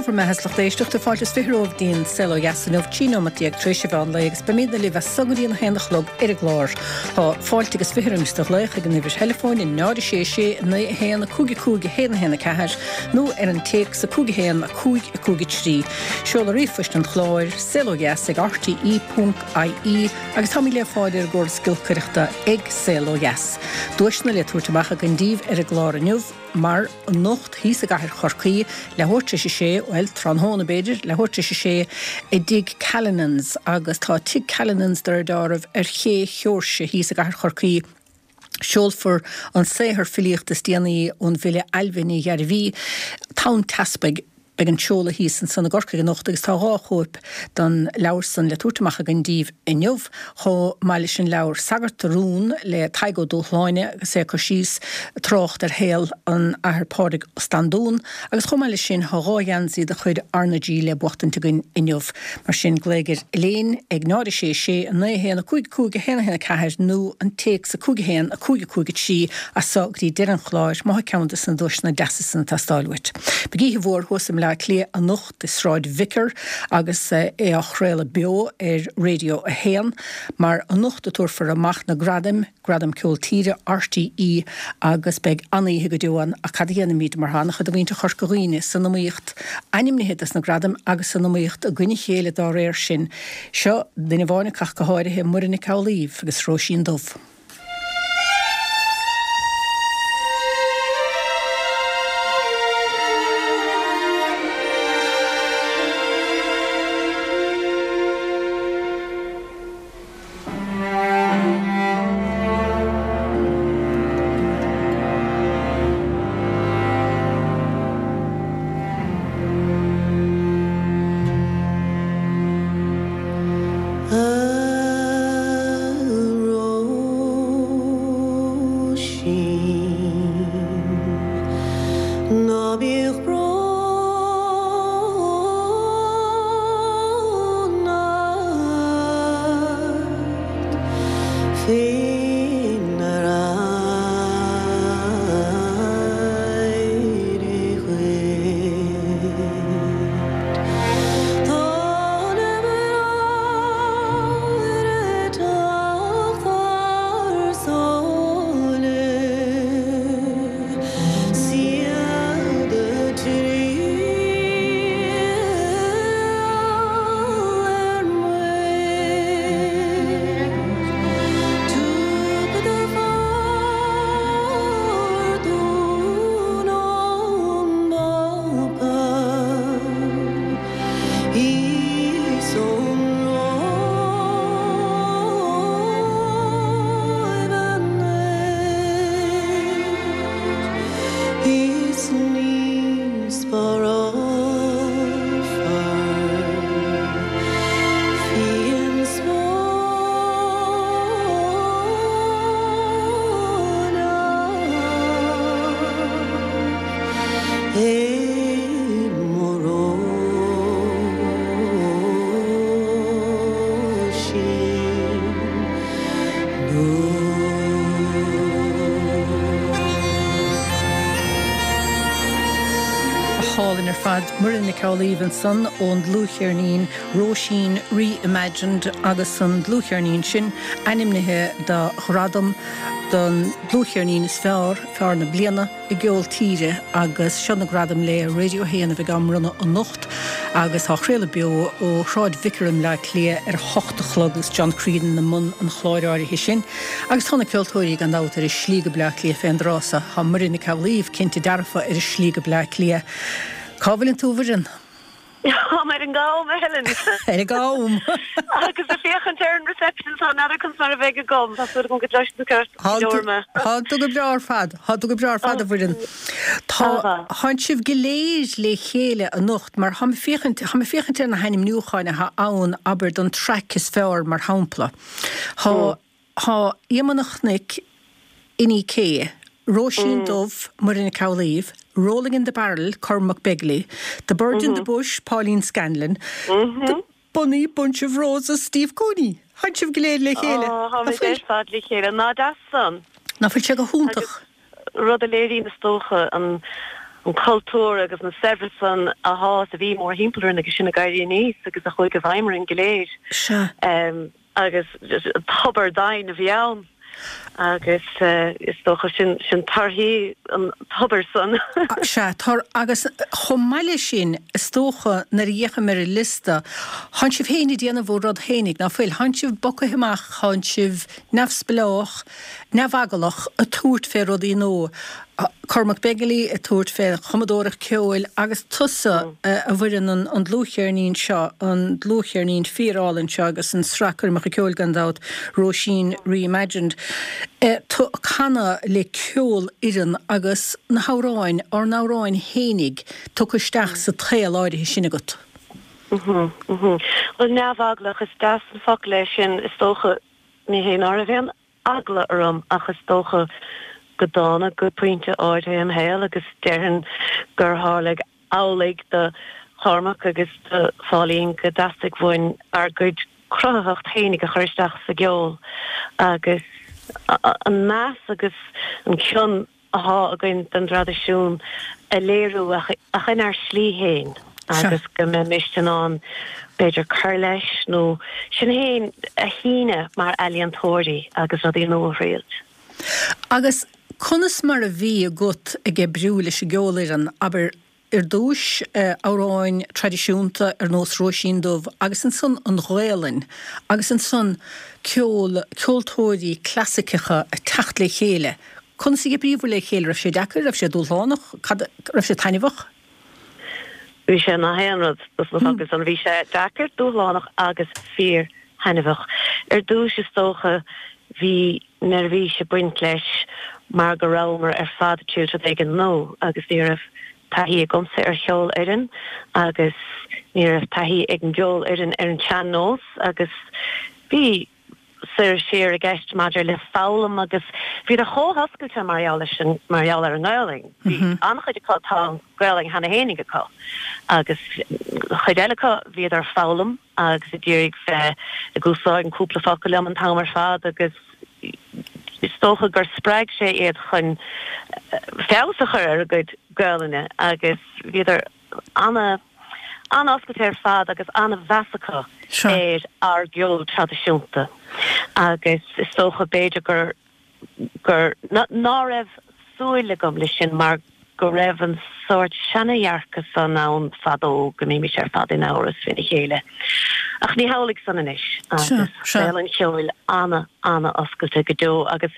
bhur mbeatha is lucht éisteachta, fáilte is 20 romhaibh go dtí an Saol Ó Dheas inniu, 13 nóimeat tar éis an mheán lae agus beimidne libh as so go dtí an 1 a chlog ar an gclár. Tá fáilte agus 20 roimis do ghlaoch ag an uimhir theileafóin 0 6 6 9 1 5 5 1 1 4 nó ar an téacs 5 1 5 5 3. Seoladh ríomhphoist an chláir, saolodheas ag rte ponc ie agus táimid le fáil ar an gcóras giolcaireachta ag Saol Ó Dheas. Duaiseanna le tabhairt amach againn daoibh ar an gclár inniu. Mar anocht thíos i gcathair Chorcaí, leathuair tar éis a sé, bhuel, tráthnóna b'fhéidir, leathuair tar éis a sé, i dTigh Callinan's agus tá Tigh Callinan's de réir dealraimh ar Ché Sheoirse thíos i gcathair Chorcaí. Seolfar an saothar filíochta is déanaí ón bhfile Ailbhe Ní Ghairbhí, Tonn Teaspaigh. Beidh an seoladh thíos ansan i gCorcaigh anocht agus tá 2 chóip den leabhar san le tabhairt amach againn díbh inniu, chomh maith leis an leabhar Sagart a Rún le Tadhg Ó Dúshláine agus é ag cur síos, trácht ar shaol an Athar Pádraig Ó Standún agus chomh maith leis sin tá 2 gheansaí de chuid RnaG le buachtaint againn inniu. Mar sin, glaoigh ar Elaine ag 0 6 6 9 1 5 5 1 1 4 nó an téacs 5 1 5 5 3 as so go dtí deireadh an chláir má thá ceann des na duaiseanna deasa san ag teastáil uait. Beidh oíche mhór thuas i mBleá Cliath anocht i Sráid Vicar agus é á chraoladh beo ar Radio 1 mar anocht a tabharfar amach na gradaim, Gradam Ceol Tíre RTÉ agus beidh an-oíche go deo ann ach cad a dhéanfaimid mar tá an-chuid de mhuintir Chorca Dhuibhne san iomaíocht ainmnithe dos na gradaim agus san iomaíocht i gcoinne a chéile dá réir sin. Seo duine amháin acu ach go háirithe, Muireann Nic Amhlaoibh agus Róisín Dubh. A Róisín, ná bíodh brón ort faoinar éirigh dhuit. Tá na bráithre ag teacht thar sáile 's iad ag triall ar Muir. Tugtar pardún ón bPápa is ón Róimh anois is ní spárálfar fíon Spáinneach é mo Róisín Dubh. Go hálainn ar fad. Muireann Nic Amhlaoibh ansan ón dlúthcheirnín Róisín Re-Imagined agus an dlúthcheirnín sin ainmnithe do ghradam don dlúthcheirnín is fearr, fearr na bliana i gceol tíre agus seo na gradaim le Radio 1 a bheidh á mbronnadh anocht agus á chraoladh beo ó Shráid Vicar i mBleá Cliath ar a hocht a chlog agus John Creedon i mbun an chláir áirithe sin agus tá na ceoltóirí gan dabht ar a slí go Bleá Cliath fén dtráth so. Tá Muireann Nic Amhlaoibh cinnte dearfa ar a slí go Bleá Cliath. Cá bhfuileann tú a Mhuireann? Táim ar an gCam, a Helen. Ar an gCam! Agus ag féachaint ar an reception so n'fheadar conas mar a bheidh agam. Tá súil agam go gcloisfidh tú ceart go leor mé. Tá tú go breá ar fad. Tá tú go breá ar fad, a Mhuireann. Tá, tánn sibh go léir le chéile anocht mar táim ag féachaint, táim ag féachaint ar na hainmniúcháin atá ann, abair, don traic is fearr mar shampla. Tá. Tá Iomaí na Cnoic, Inni-K, Róisín Dubh, Muireann Nic Amhlaoibh, Rolling in the Barrel, Cormac Begley, The Bird in the Bush, Pauline Scanlon, The Bonny Bunch of Roses, Steve Cooney. Tánn sibh go léir le chéile. Ó, táimid ar fad le chéile. Nach deas san? Ná fuil sé go hiontach? Rud a léiríonn, is dócha, an. an cultúr agus na saibhreas san athá is a bhí mórthimpeall orainn agus sinn ag éirí aníos agus a chuaigh i bhfeidhm orainn go léir. Sea. Agus tobar doimhin a bhí ann agus is dócha sin sin torthaí an tobair san. Sea, tor agus chomh maith leis sin, is dócha nuair a fhéachaim ar an liosta, thánn sibh féin ag déanamh bhur rud fhéinig, ná fuil? Thánn sibh bogtha amach, thánn sibh neamhspleách, neamheaglach ag tabhairt fé rudaí nua. Cormac Begley ag tabhairt fé chumadóireacht ceoil agus tusa a Mhuireann an dlúthcheirnín seo, an dlúthcheirnín fíor-álainn seo agus an sraith coirmeacha ceoil gan dabht, Róisín Reimagined. Tú ag canadh le ceolfhoireann agus na hamhráin, ár n-amhráin fhéinig, tugtha isteach sa tsaol áirithe sin agat. Bhuel, neamheaglach, is deas an focal é sin is dócha. Ní hé ná raibh aon eagla orm ach is dócha go dtánag go pointe áirithe im shaol agus déarfainn gur tharlaigh amhlaidh do Chormac agus do Phauline go dteastaigh uainn ár gcuid cruthaitheacht fhéinig a chur isteach sa gceol agus an meas agus an cion athá againn don dtraidisiún a léiriú ach inár slí féin agus go mbeimist in ann b'fhéidir cur leis nó sinn féin a shíneadh mar ealaíontóirí agus rudaí nua a thriailt. Agus conas mar a bhí agat ag oibriú leis an gceolfhoireann, abair, Ar dtúis, amhráin traidisiúnta ar nós Róisín Dubh agus ansan an Ghaelainn agus ansan ceol, ceoltóirí clasaiceacha ag teacht le chéile. Conas a d'oibríobhair le chéile? Raibh sé deacair? Raibh sé dúshlánach? Cad, raibh sé taitneamhach? Bhí sé nach aon rud dos na focail san. Bhí sé deacair, dúshlánach agus fíor thaitneamhach. Ar dtúis is dócha bhí neirbhís ag baint leis mar go rabhamar ar fad ag triailt rud éigin nua agus ní raibh taithí agamsa ar cheolfhoireann agus ní raibh taithí ag an gceolfhoireann ar an tsean-nós agus bhí soir is siar i gceist maidir le foghlaim agus bhíodar chomh hoscailte mar gheall leis an, mar gheall ar an nGaelainn. Bhí an-chuid acu, tá an Ghaelainn cheana fhéinig acu agus chuid eile acu bhíodar ag foghlaim agus ag iarraidh bheith ag úsáid an cúpla focal liom an t-am ar fad agus is dócha gur spreag sé iad chun feabhas a chur ar a gcuid Gaelainne agus bhíodar ana an-oscailte ar fad agus an-mheas acu ar ár gceol traidisiúnta agus is dócha b'fhéidir gur gur, ná raibh súil agam leis sin mar go raibh an sórt seana-dhearcadh san ann fadó go mbímis ar fad in amhras faoina chéile. Ach ní hamhlaidh san anois agus saol an cheoil ana, ana-oscailte go deo agus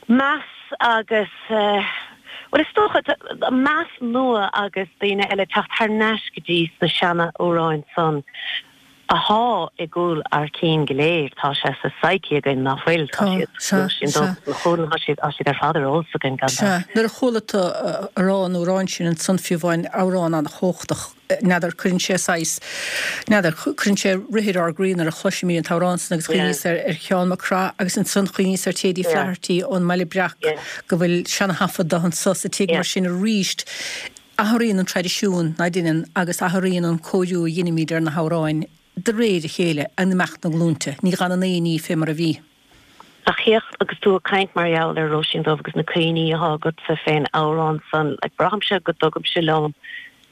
meas agus, bhuel is dócha, meas nua agus daoine eile teacht thar n-ais go dtí sna seana-amhráin san. athá i gcúl ár cinn go léir, tá sé sa psyche againn, ná fuil? Tá siad, Sea, sin sea. dóchas na chúil, tá siad, tá siad ar fad ar eolas againn, gan Sea, dabht. nuair a chuala tú ag rá an amhráin sin ansan fiú amháin, amhrán an-chumhachtach, n'fheadar, cuireann sé saghas, n'fheadar, cuireann sé rith ar ár gcroí nuair a chloisimid an t-amhrán san agus Yeah. chuimhníos ar, ar Sheán Mac Craith agus ansan chuimhníos ar Thady Yeah. Flaherty ón mBaile Breac Yeah. go bhfuil seana-thaifead de anso sa tigh Yeah. mar sin aríst. Athraíonn an traidisiún, ná deineann, agus athraíonn an cóiriú a dheinimid ar na hamhráin de réir a chéile, in imeacht na nglúinte. Ní dh'fhanann aon ní fé mar a bhí. Ach féach, agus tú ag caint mar gheall ar Róisín Dubh agus na cuimhní athá agatsa fén amhrán san, like, braithimse go dtugaimse liom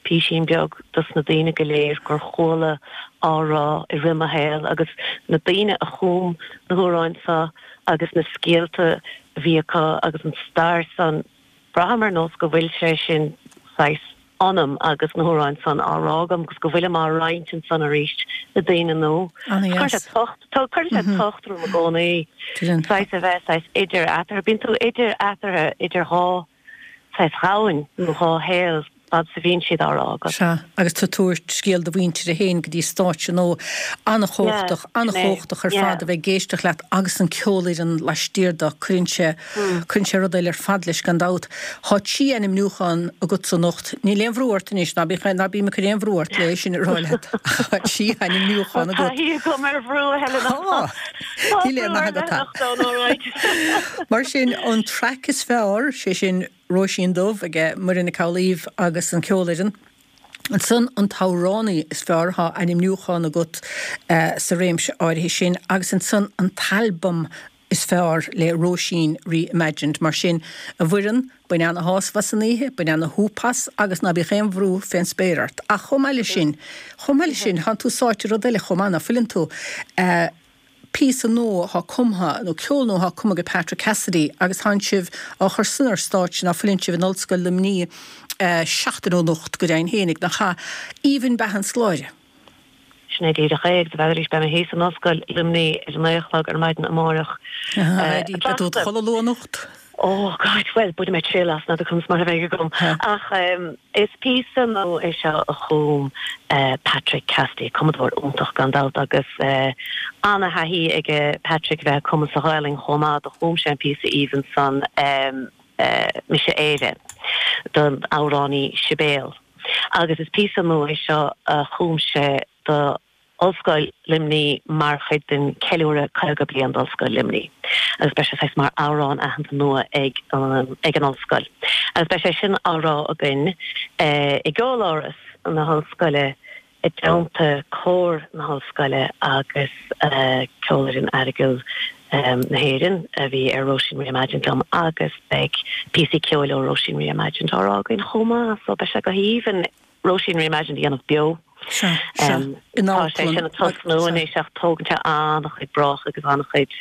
písín beag dos na daoine go léir gur chuala á rá i rith mo shaoil agus na daoine a chum na hamhráin so agus na scéalta a bhí acu agus an stair san, Braithim ar nós go bhfuil sé sin saghas ionam agus na hamhráin san á rá agam agus go bhfuilim á roinnt ansan arís le daoine nua. Cuireann sé tocht, cuireann sé tocht orm i gcónaí saghas a bheith saghas idir eatarthu. Bíonn tú idir eatarthu, idir dhá saghas dhomhain nó dhá shaol. fad is a bhíonn siad á rá agat. Sea, agus tú ag tabhairt scéal do mhuintire féin go dtí stáitse nua. An-chumhachtach, an-chumhachtach ar fad a bheith ag éisteacht leat agus an ceolfhoireann laistiar de, cuireann sé, cuireann sé rud eile ar fad leis gan dabht. Tá trí ainmniúchán agatsa anocht, níl aon bhrú ort anois, ná bíodh, ná bím ag cur aon bhrú ort le é sin a rá leat, ach tá trí ainmniúchán agat. Tá taithí agam ar bhrú, a Helena. Tá! Níl aon nath agat. Mar sin, an traic is fearr, sé sin, Róisín Dubh ag Muireann Nic Amhlaoibh agus an Ceolfhoireann. Ansan an t-amhránaí is fearr, tá ainmniúchán agat sa réimse áirithe sin, agus ansan an t-albam. is fearr le Róisín Reimagined. Mar sin, a Mhuireann, bain ana-shásamh as an oíche, bain ana-shúp as agus ná bíodh aon bhrú fén spéir ort. Ach chomh maith leis sin, chomh maith leis sin, thánn tú sáite i rud eile chomh maith, ná fuileann tú? Píosa nua athá cumtha, nó ceol nua athá cumtha ag Patrick Cassidy agus thánn sibh á chur san ar stáitse, ná fuileann sibh, in Ollscoil Luimnigh seachtain ó anocht go deimhin fhéinig, nach ea? Aoibhinn Beatha an Scoláire. Sin é díreach é, agus arís beidh mé thíos in Ollscoil Luimnigh ar a naoi a chlog ar maidin amárach. Beidh tú id chodladh luath anocht? Oh God, bhuel, bainfidh mé triail as, n'fheadar conas mar a bheidh agam. Ach is píosa nua é seo a chum Patrick Cassidy, cumadóir iontach gan dabht agus ana-thaithí aige Patrick a bheith ag cumadh sa Ghaelainn chomh maith, do chum sé an píosa aoibhinn san Mise Éire don amhránaí Sibéal. Agus is píosa nua é seo a chum sé do Ollscoil Luimnigh mar chuid den ceiliúradh 50 bliain d'Ollscoil Luimnigh agus beidh sé saghas mar amhrán aitheanta nua ag ag an ollscoil. Agus beidh sé sin á rá againn i gCeoláras na hOllscoile i dteannta cór na hOllscoile agus Ceolfhoireann Aireagail na hÉireann a bhí ar Róisín Reimagined liom agus beidh píosaí ceoil ó Róisín Reimagined á rá againn chomh maith so beidh sé go haoibhinn Róisín Reimagined a dhéanamh beo. Sea, sea. In Tá sé sin ag tosnú anois ach tógann sé an-chuid brách agus an-chuid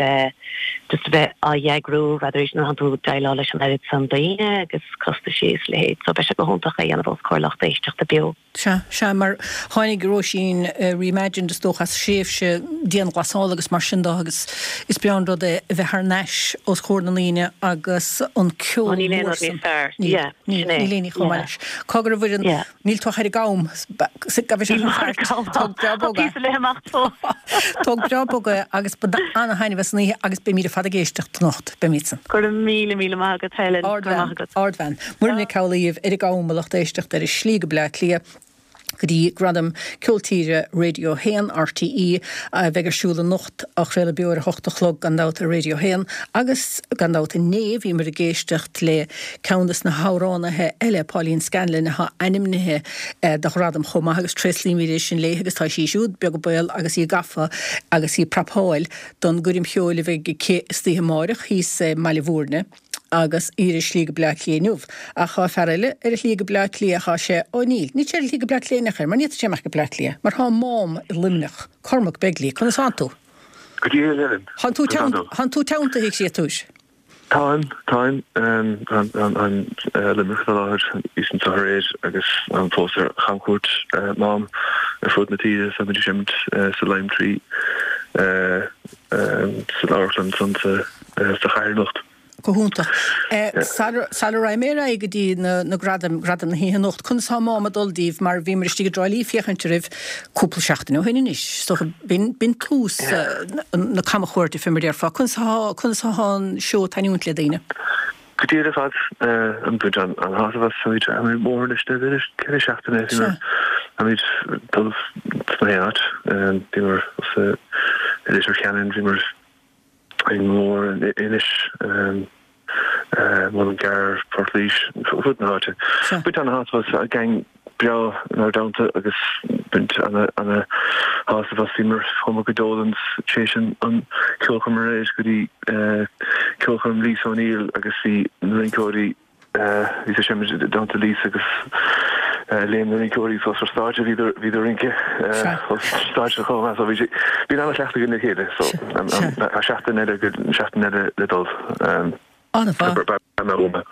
just a bheith á eagrú rather arís nuair atánn tú ag déileáil leis an oiread san daoine agus costaisí is a leithéid so beidh sé go hiontach é a dhéanamh os comhair lucht éisteachta beo. Sea, sea, mar tháinig Róisín Reimagined is dócha as thréimhse dianghlasála agus mar sin de agus is breá an rud é a bheith thar n-ais os comhair na ndaoine agus an ceol Ó níl aon mór rud san. níos fearr. Níl, Yeah, níl, sin é. níl aon ní chomh maith Yeah. leis. Cogar a Mhuireann, Yeah. níl tú ach ar an gcam, gabh isteach Níl an ar an chairt, gcam. tóg breá Tá bog é. píosa le himeacht fós. Tóg breá bog é agus bain ana-thaitneamh as an oíche agus beimid ar fad ag éisteacht anocht, beimidsan. Go raibh míle míle maith agat Helen. Go raibh Ardbhean, maith agat. Ardbhean. Muireann Nic Amhlaoibh ar an gcam a lucht éisteachta ar a slí go Bleá Cliath go dtí Gradaim Ceol Tíre Radio 1, RTÉ, a bheidh ar siúl anocht, á chraoladh beo ar a hocht a chlog gan dabht ar Radio 1 agus gan dabht inné bhíomar ag éisteacht le ceann des na hamhránaithe eile, Pauline Scanlon, atá ainmnithe do ghradam chomh maith agus tréaslaímid é sin léi agus tá sí siúd beag an baol agus í gafa agus í ag prapáil don gcoirm cheoil a bheidh aici istoíche amáireach thíos i mBaile Bhúirne agus í ar a slí go Bleá Cliath inniu. Ach thá fear eile ar a shlí go Bleá Cliath, thá sé, ó níl, níl sé ar a shlí go Bleá Cliath in aon chor, mar ní fhéadfadh sé imeacht go Bleá Cliath, mar thá a Mám i Luimneach, Cormac Begley, conas thánn tú? Go diail, a Helen. Thánn tú thánn tú teanntaithe, a chréatúir? Táim, táim, táim i Luimneach faoi láthair, bhíos anseo aréir agus táim fós ar chamchuairt Mám ar fud na tíre, táimid ag seimint sa Lime Tree san amharclann ansan sa chathair anocht. Go hiontach. Sara raghaidh mé ar aghaidh go dtí na gradaim, gradaim na hoíche anocht, conas tá Mám ag dul daoibh mar bhíomar istigh i dTrá Lí ag féachaint oraibh cúpla seachtain ó shin anois, is dócha, b'in tús na camchuairte fé mar a déarfá. Conas atá, conas atá an seó ag taitniúint le daoine? Go diail ar fad, ag baint an-shásamh as, táimid ar an mbóthar anois le b'fhéidir 4 seachtaine, bhíomar, táimid ag dul sna haon áit, bhíomar i Leitir Ceanainn, bhíomar i nGabhla, Inis, Mullingar, Port Laoise, fud na háite. Baint ana-shásamh as, gang breá inár dteannta agus baint ana-shásamh as. Bhíomar, chuamar go Dolan's tar éis an ceolchoirm aréir go dtí ceolchoirm Lisa O'Neill agus bhí na rinceoirí, Bhí sé sin i dteannta Lisa agus léim na rinceoirí suas ar stáitse, bhíodar ag rince os stáitse chomh maith so bhí sé, bhí an-chleachtadh againn le chéile so tá seachtain eile seachtain eile le dul. An-mhaith. An-mhaith.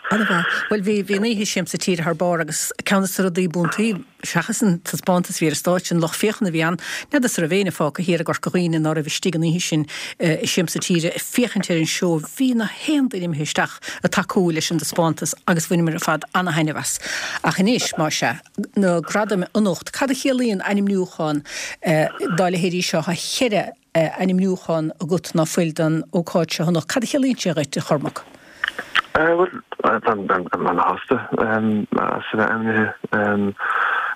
Bhuel bhí, bhí an oíche i Siamsa Tíre thar barr agus ceann de na rudaí b'iontaí Seachas an taispeántas a bhí ar an stáitse, an lucht féachana a bhí ann, n'fheadas an raibh éinne fágtha thiar i gCorca Dhuibhne ná raibh istigh an oíche sin i Siamsa Tíre ag féachaint ar an seó. Bhí na haon duine imithe isteach ag tacú leis an dtaispeántas agus bhaineamar ar fad ana-thaitneamh as. Ach anois, más ea, na gradaim anocht, cad a chiallaíonn ainmniúchán dá leithéidí seo? Tá cheithre ainmniúchán agat ná fuil don ócáid seo anocht. Cad a chiallaíonn sé dhuit, a Chormaic? Bhuel, táim ana-shásta as a bheith ainmnithe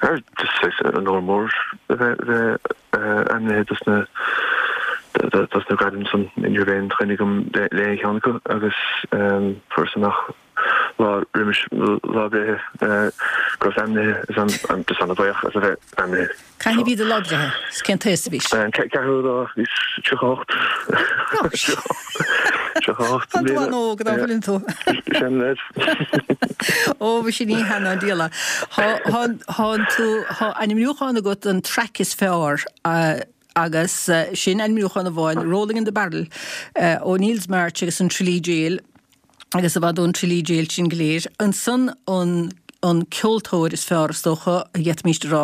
ar just saghas onóir mór a bheith ainmnithe dos na dos na gradaim san. Ní raibh aon choinne agam le aon cheann acu agus fuaireas amach lá roimis mo lá breithe go rabhas ainmnithe is I'm just ana-bhuíoch as a bheith ainmnithe. Cathain a bhí do lá breithe? Is cén t-aois a bhís? An ceathrú lá, bhíos 38. 38 Tá tú an-óg, ná fuileann tú? Seanleaid. Ó, mhuise ní hea ná diabhal é. Tá tú, tá ainmniúchán agat don traic is fearr agus sin ainmniúchán amháin, Rolling in the Barrel ó Neils March agus an Tralee Gaol agus i bhfad ón Tralee Gaol sin go léir. Ansan an an ceoltóir is fearr is dócha a d'fhéadfaimíst a rá.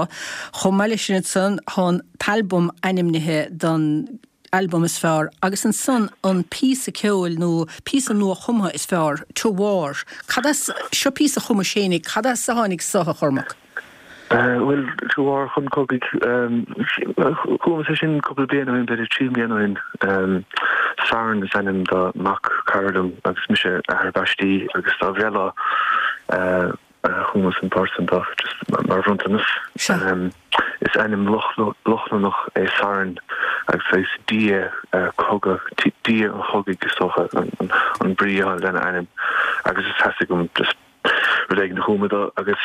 Chomh maith leis sin ansan tá an t-albam ainmnithe don albam is fearr agus ansan an píosa ceoil nó píosa nua-chumtha is fearr, To War. Cad as, seo píosa a chumais fhéinig, cad as a tháinig so, a Chormaic? Bhuel, To War, chun cogaidh, chumas é sin cúpla bliain ó shin, b'fhéidir 3 mbliana ó shin. Saran is ainm do mhac cara liom agus mise athair baistí agus dá bhreithlá Chumas an port san dó just mar bhronntanas. Is ainm Lochlannach é Saran agus is dia cogadh, dia an chogaidh is dócha an brí atá lena ainm agus is theastaigh uaim just rud éigin a chumadh dó agus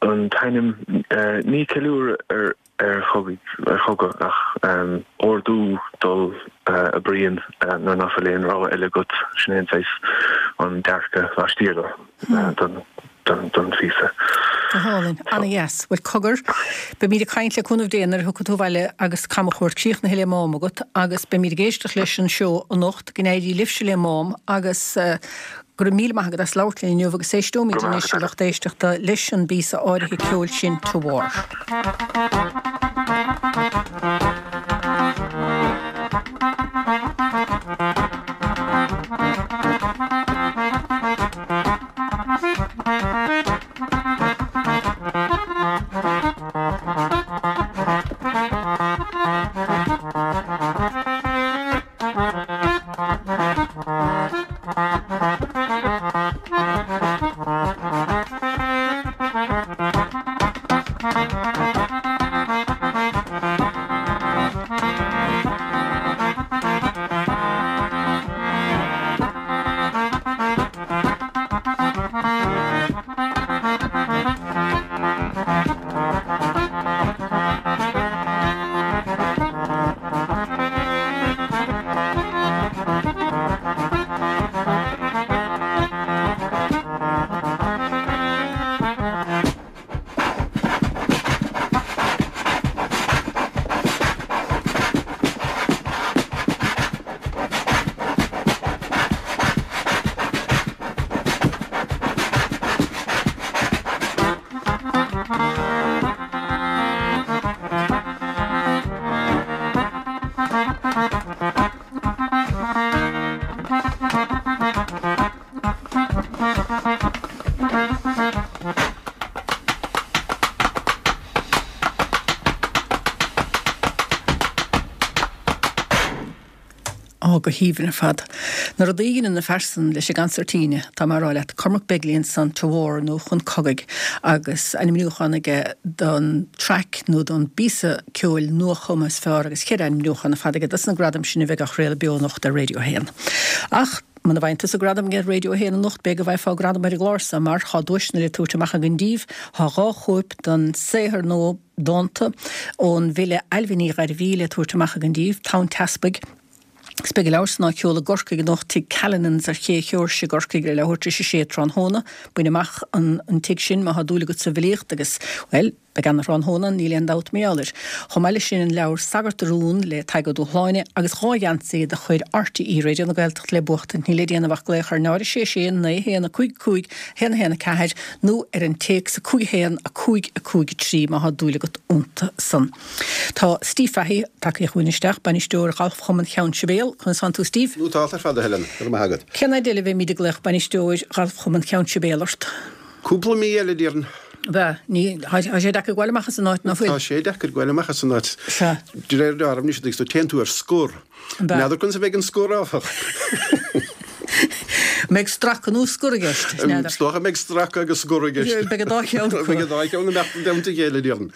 an t-ainm ní ceiliúradh ar ar chogadh ach ordú dul a bruíon nuair ná fuil aon rogha eile agat, sin é an saghas an dearcadh laistiar don phíosa. Go hálainn. Ana-dheas. Bhuel, cogar, beimid ag caint le cúnamh Dé nuair a thiocfaidh tú abhaile agus camchuairt críochnaithe le Mám agat agus beimid ag éisteacht leis an seó anocht, go n-éirí libhse le Mám agus Go raibh míle maith agat as labhairt linn inniu agus éisteoimid anois, a lucht éisteachta, leis an bpíosa áirithe ceoil sin, To War. Á, go haoibhinn ar fad. Na rudaí a dheineann na fear san leis an gcansairtíne, tá mé a rá leat. Cormac Begley ansan, To War nó Chun Cogaidh, agus ainmniúchán aige don traic nó don bpíosa ceoil nuachumtha is fearr agus cheithre ainmniúchán ar fad aige dos na gradaim sin a bheidh á chraoladh beo anocht ar Radio 1. Ach muna bhfaigheann tusa gradam ar Radio 1 anocht, b'fhéidir go bhfaighfeá gradam ar an gclár so mar tá duaiseanna le tabhairt amach againn díbh, tá 2 chóip den saothar nua dánta ón bhfile Ailbhe Ní Ghairbhí le tabhairt amach againn díbh, Tonn Teaspaigh. Agus beidh an leabhar san á sheoladh i gCorcaigh anocht, Tigh Callinan's ar Ché Sheoirse i gCorcaigh ar leathuair tar éis a sé tráthnóna. Bain amach an tigh sin má thá dúil agat sa bhfilíocht agus, bhuel, beidh ana-thráthnóna ann, níl aon dabht mar gheall air. Chomh maith leis sin an leabhar Sagart a Rún le Tadhg Ó Dúshláine agus 2 gheansaí de chuid RTÉ Raidió na Gaeltachta le buachtaint. Níl le déanamh ach glaoch ar 0 6 6 9 1 5 5 1 1 4 nó ar an téacs 5 1 5 5 3 má thá dúil agat iontu san. Tá Steve Fahey tagtha chugainn isteach, bainisteoir Ghalfchumann Cheann Sibéal. Conas tánn tú, Steve? Nótálta ar fad, a Helen. Go raibh maith agat. Cén fhaid eile a bheimid ag glaoch bainisteoir Ghalfchumann Cheann Sibéal ort? Cúpla mí eile, déarfainn. Ab ea? Ní, tá sé deacair gabháil amach as an áit, ná fuil? Tá sé deacair gabháil amach as an áit. Sea. De réir dealraimh anois, agus téann tú ar scor. N'fheadar conas a bheidh an scor, áfach. Mbeidh stracadh nó scor i gceist? N'fheadar. Is dócha mbeidh stracadh agus scor i gceist. Beidh an dá cheann acu. Beidh an dá cheann ag imeacht i dteannta a chéile, déarfainn.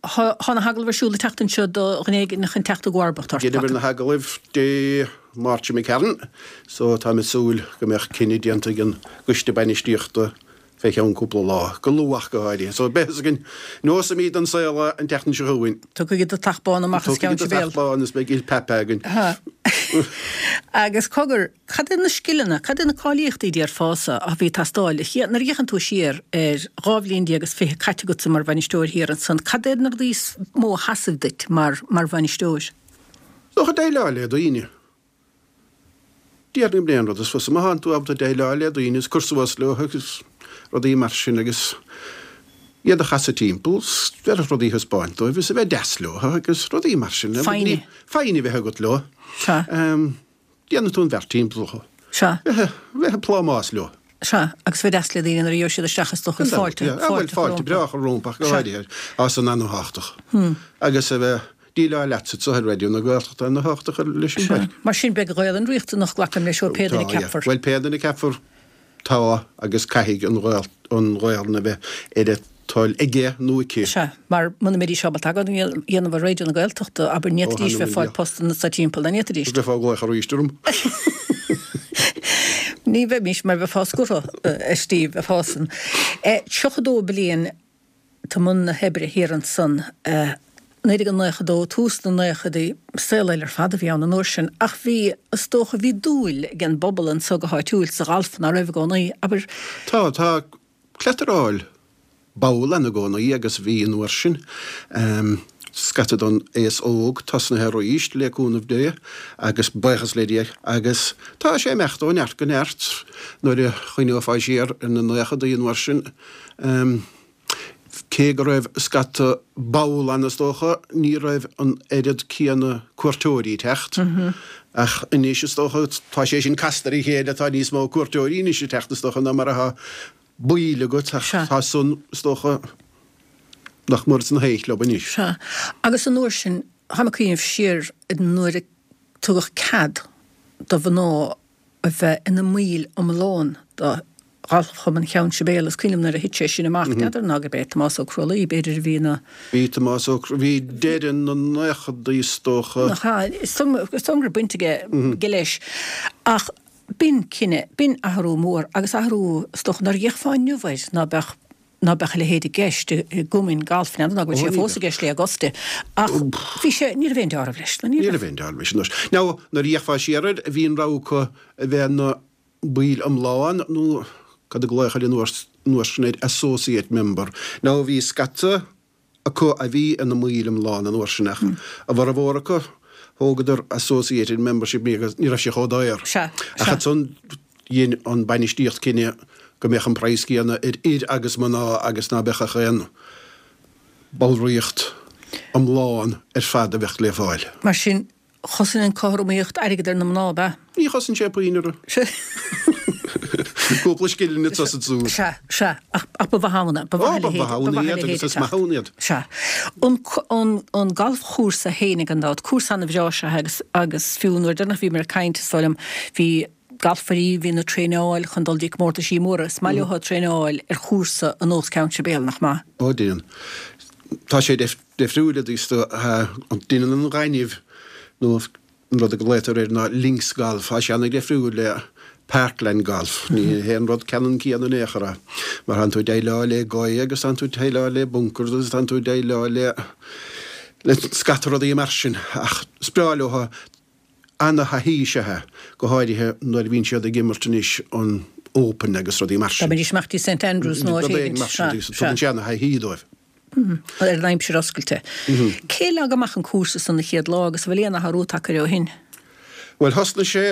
Tá na hagallaimh ar siúl an tseachtain seo do dhuine éigin chun teacht i gcomharbacht ort. Dheineamar na hagallaimh Dé Máirt seo imigh tharainn so táim ag súil go mbeadh cinneadh déanta ag an gcoiste bainistíochta. Fé cheann cúpla lá, go luath go háirithe. So beidh fhios againn, neosfaimid don saol é an tseachtain seo chugainn. Tiocfaidh an deatach bán amach as Ceann Sibéal. Tiocfaidh an deatach bán is beidh Il Pappa againn. Agus cogar, cad é na scileanna, cad é na cáilíochtaí déarfása a bhí ag teastáil? Nuair a fhéachann tú siar ar 12 bhliain is 20 caite agatsa mar bhainisteoir thiar ansan, cad é na rudaí is mó a sheasaigh duit mar bhainisteoir? Is dócha déileáil le daoine. Déarfainn gurb é an rud is fusa má thánn tú ábalta déileáil le daoine is cur suas leo agus rudaí mar sin agus iad a chasadh timpeall, bheith rudaí a thaispeáint dóibh is a bheith deas leo agus rudaí mar sin. Foighne. Foighne a bheith agat leo. Sea. Déanann tú an bheart timpeall orthu. Sea. Bheith ag plámás leo. Sea, agus bheith deas le daoine nuair a gheobhaidh siad isteach is dócha is fáilte, fáilte fáilte breá a chur rompu ach go háirithe, tá san ana-thábhachtach. Agus a bheith déileáil leatsa anseo ar Raidió na Gaeltachta ana-thábhachtach leis an bpáirc. Mar sin beidh an Ghaelainn riachtanach, glacaim leis, ó pé duine a ceapfar. Bhuel pé duine a ceapfar tá agus caithfidh an Ghaelainn a bheith ar a toil aige nó aici. Sea, mar muna mbeidís ábalta agóid a dhéanamh ar Raidió na Gaeltachta, abair, ní fhéadfaidís bheith ag fáil postanna sa timpeall, an bhféadfaidís? Bheifeá ag glaoch arís orm. Ní bheimís, mar bheifeá scortha, a Steve, bheifeá san. 32 bliain i mbun na hoibre thiar ansan. 1992, tús na naochadaí, saol eile ar fad a bhí ann an uair sin, ach bhí, is dócha, bhí dúil ag an bpobal anso go háitiúil sa ghalf, ná raibh i gcónaí, abair? Tá, tá cleacht ar fháil ball ann i gcónaí agus bhí an uair sin. Scata don aos óg tosnaithe arís, le cúnamh Dé agus buíochas le Dia, agus tá sé ag imeacht ó neart go neart. Nuair a chuimhneofá siar ar na naochadaí an uair sin, cé go raibh scata ball ann is dócha, ní raibh an oiread céanna cuairteoirí ag teacht. Ach anois is dócha, tá sé sin casta ar a chéile, tá níos mó cuairteoirí anois ag teacht is dócha ná mar atá baill agat, ach Sea. tá san, is dócha, nach mór sna haon chlub anois. Sea. Agus an uair sin, táim ag cuimhneamh siar nuair a tugadh cead do mhná a bheith ina mbaill iomlán do Ghalfchumann Cheann Sibéal, is cuimhin liom nuair a thit sé sin amach, n'fheadar ná gurb é Tomás Ó Crualaoi, b'fhéidir, a bhí ina. Bhí Tomás Ó Crualaoi, bhí deireadh na naochadaí is dócha. Nach ea? Is dóigh liom go raibh baint aige leis. Ach B'in cinneadh, b'in athrú mór agus athrú, is dócha, nuair a d'fhéachfá inniu air, ná beadh, ná beadh a leithéid i gceist i gcumainn gailf, n'fheadar ná go bhfuil sé fós i gceist le Augusta, ach bhí sé, ní raibh aon deáramh leis, ní raibh. Ní raibh aon deáramh leis anois. Now, nuair a d'fhéachfá siar air, bhí an rogha acu a bheith ina mbaill iomlán nó cad a glaodh air an uair sin air, associate member. Now, bhí scata acu a bhí ina mbaill iomlán an uair sin ach a bhformhór acu thógadar associated membership ní raibh sé chomh daor. Sea, Ach sea. ansan dhein an bainistíocht cinneadh go mbeadh an praghas céanna ar fhir agus mná agus ná beadh ach aon ballraíocht iomlán ar fad a bheadh le fáil. Mar sin, Chosain an cothromaíocht airgead ar na mná, ab ea? Ní chosain sé puinn orthu. Cúpla scilling anso is ansúd. Sea, sea, ach ba mhaith ann é, ba mhaith a leithéid, ba mhaith a leithéid a teacht. Is maith ann iad. Sea. An, an, an galfchúrsa fhéinig gan dabht, cúrsa ana-bhreá is ea é agus, agus fiú nuair deireanach a bhíomar ag caint, is dóigh liom, bhí galfairí, bhí ag traenáil chun dul dtí comórtaisí móra, is maith leo traenáil ar chúrsa ar nós Ceann Sibéal, nach maith? Ó, déan. Tá sé difriúil i dtaobh deineann an ghainimh nó an rud a glaotar air ná links golf, tá sé ana-dhifriúil le parkland golf. Ní hé an rud ceannann céanna in aon chor é. Mar tánn tú ag déileáil le gaoth agus tánn tú ag déileáil le bunkers agus tánn tú ag déileáil le le scata rudaí mar sin. Ach is breá leo ana-thaithí is ea é, go háirithe nuair a bhíonn siad ag imirt anois an Open agus rudaí mar sin. Dá mbeidís amach dtí St Andrews nó áit éigin. Rud éigin mar sin, tugann sé ana-thaithí dóibh. Ar an aimsir oscailte. Cé a leag amach an cúrsa san an chéad lá agus an bhfuil aon athrú tagtha air ó shin? Bhuel, thosnaigh sé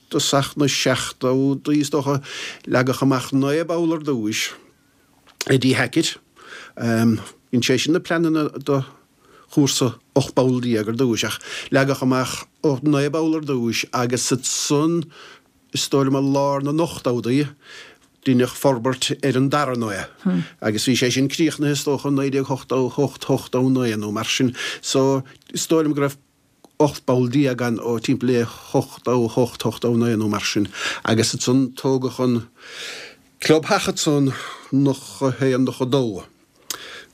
dtosach na seachtóidí, is dócha. Leagadh amach 9 bpoll ar dtúis Eddie Hackett. Dhein sé sin na pleananna do chúrsa 18 bpoll ar dtúis ach leagadh amach 9 bpoll ar dtúis agus ansan, is dóigh liom i lár na n-ochtóidí, deineadh forbairt ar an dara 9 agus bhí sé sin críochnaithe is dócha i 1988, 89 nó mar sin. So is dóigh liom go raibh 18 bpoll ann ó timpeall le 88, 89 nó mar sin agus ansan tógadh an clubtheach ansan 91, 92.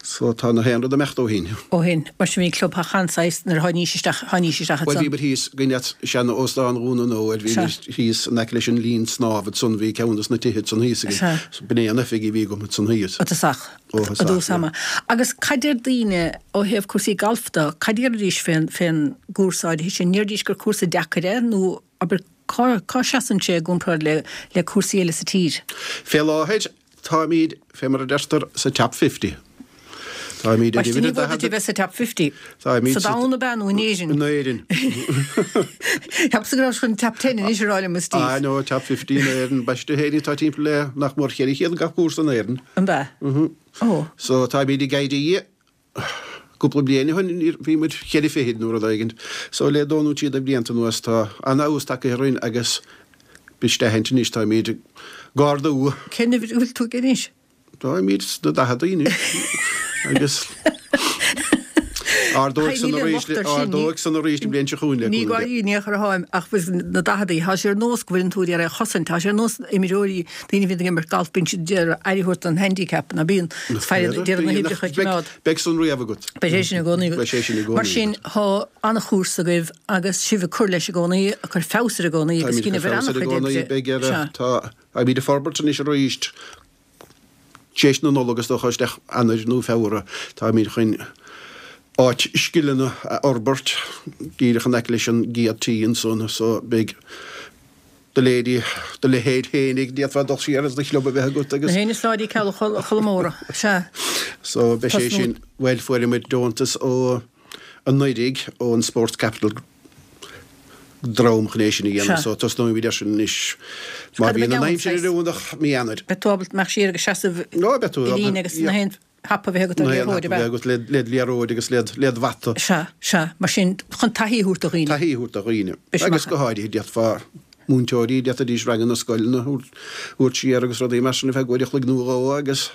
So tá na haon rud imeachta ó shin. Ó shin. Mar sin bhí clubtheach an-saghas nuair a tháinís isteach, tháinís isteach ansan. Bhuel bhíomar thíos, cuimhin leat sean-óstán Dhún na nÓir, bhíomar thíos in aice leis an linn snámha ansan, bhí ceann dos na tithe ansan thíos againn. Sea. So b'in é an oifig a bhí agam ansan thíos. I dtosach. Ó thosach, I dtús ama. Agus cad deir daoine ó thaobh cúrsaí gailf de, cad déarfaidís fén, fén gcúrsa áirithe sin? Ndéarfaidís gur cúrsa deacair é nó abair cá, cá seasann sé i gcomparáid le, le cúrsaí eile sa tír? Fé láthair Táimid, fé mar a deirtear, sa Top Fifty. Táimid ar uimhir a daichead. Ní mór duit a bheith sa Top Fifty. Táimid sa domhan ab ea nó in Éirinn? In Éirinn. Cheapas go raibh chun Top Ten anois a rá liom, a Steve. Ah no, Top Fifty in Éirinn. Baiste féinig, tá timpeall le nach mór 400 gach cúrsa in Éirinn. An ea? Mhm. Oh. So táimid ag éirí. Cúpla bliain ó shin bhí muid cheithre fichid nó rud éigint. So le dó nó trí de bhlianta anuas tá an-fheabhas tagtha orainn agus b'iste aithint anois táimid ag ardú. Cén uimhir a bhfuil tú aige anois? Táimid sna daicheadaí anois agus ardóidh san arís ardóidh san arís an bhliain seo chugainn le Ní gáirí in aon chor atáim ach na daicheadaí. Tá sé ar nós go bhfuil an tú ag iarraidh a chosaint. Tá sé ar nós imreoirí Daoine a bhíonn ag imirt galf, bíonn siad ag iarraidh aire a thabhairt don handicap, ná bíonn? Is fearr iad ag iarraidh na huimhreacha a choimeád. Beidh san riamh agat. Beidh sé sin i gcónaí agat. Beidh sé sin i gcónaí Mar sin, tá an-chúrsa agaibh agus sibh ag cur leis i gcónaí, ag cur feabhas air i gcónaí agus Táimid ag cur feabhas air i gcónaí, beidh ar, tá, táimid ag forbairt anois arís. Tar éis na Nollag is dócha, isteach Eanáir nó Feabhra, táimid chun áit scileanna a fhorbairt díreach in aice leis an gcéad tee ansan so beidh do leithéidí, do leithéid féinig, d'fhéadfá dul siar agus do chlub a bheith agat agus. Na héin is láidre ceal Cholmóra, sea. So beidh sé sin, bhuel fuair muid deontas ó anuraidh ón Sports Capital dream chun é sin a dhéanamh so tosnóimid air sin anois má bhíonn an aimsir oiriúnach mí Eanáir. Beidh tú ábalta imeacht siar agus seasamh i líne agus na haon thapa a bheith agat ar liathróid, ab ea? agat le liathróid agus le do bhata. Sea, sea. Mar sin, chun taithí a thabhairt do dhaoine. Taithí a thabhairt do dhaoine. Agus go háirithe d'fhéadfá múinteoirí, d'fhéadfaidís ranganna scoileanna a thabhairt siar agus rudaí mar sin ar feadh uair a chloig nó dhó agus.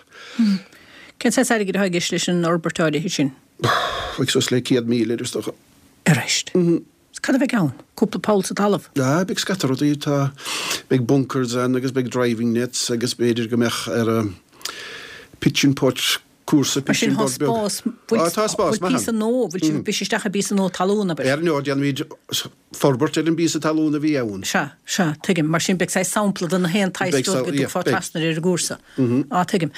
Cén saghas airgid atá i gceist leis an fhorbairt áirithe sin? Ag suas le 100,000 is dócha. Arís. Cad a bheidh ann? Cúpla poll sa talamh? Ah, beidh scata rudaí. Tá, beidh bunkers ann agus beidh driving nets agus b'fhéidir go mbeadh ar a pitch and putt, cúrsa Mar pitch sin and tá putt beag. spás, bhfuil, Ah, tá spás bhfuil maith píosa ann. nua, bhfuil sibh ag briseadh isteach i bpíosa nua talún, abair? Ar ndóigh, déanfaimid forbairt ar an bpíosa talún a bhí ann. Sea, sea, tuigim. Mar sin beidh saghas sampla de na haon tsaghas Beidh rud go yeah, dtiocfá beidh. trasna ar an gcúrsa. Á, tuigim.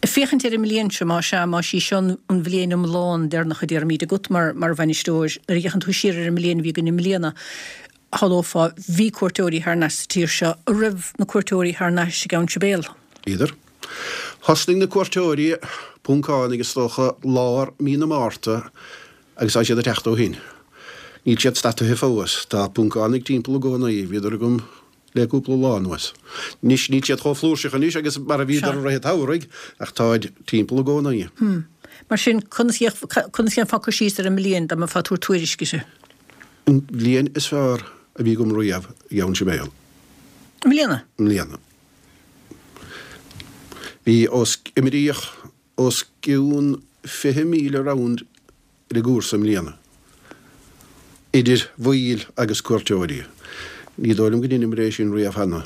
Féachaint ar an mbliain seo, más ea, más í seo an bhliain iomlán deireanach a déarfaimid agat mar mar bhainisteoir, nuair a fhéachann tú siar ar an mbliain a bhí againn i mbliana, shamhlófá, bhí cuairteoirí thar n-ais sa tír seo, an raibh na cuairteoirí thar n-ais i gCeann Sibéal? Bhíodar. Thosnaigh na cuairteoirí, Poncánaigh is dócha, lár mí na Márta agus tá siad ag teacht ó shin. Níl siad stadtaithe fós. Tá Poncánaigh timpeall i gcónaí. Bhíodar agam le cúpla lá anuas. Anois, níl siad chomh flúirseach anois agus mar a bhíodar i rith an tsamhraidh, ach táid timpeall i gcónaí. Hm. Mar sin, conas, conas a dhéanfá cur síos ar an mbliain dá mbeifeá ag tabhairt tuairisc uirthi? An bhliain is fearr a bhí agam riamh i gCeann Sibéal. I mbliana? I mbliana. Bhí os, imríodh os cionn 20,000 round ar an gcúrsa i mbliana, idir bhaill agus cuairteoirí. Ní dóigh liom go ndeineamar é sin riamh cheana.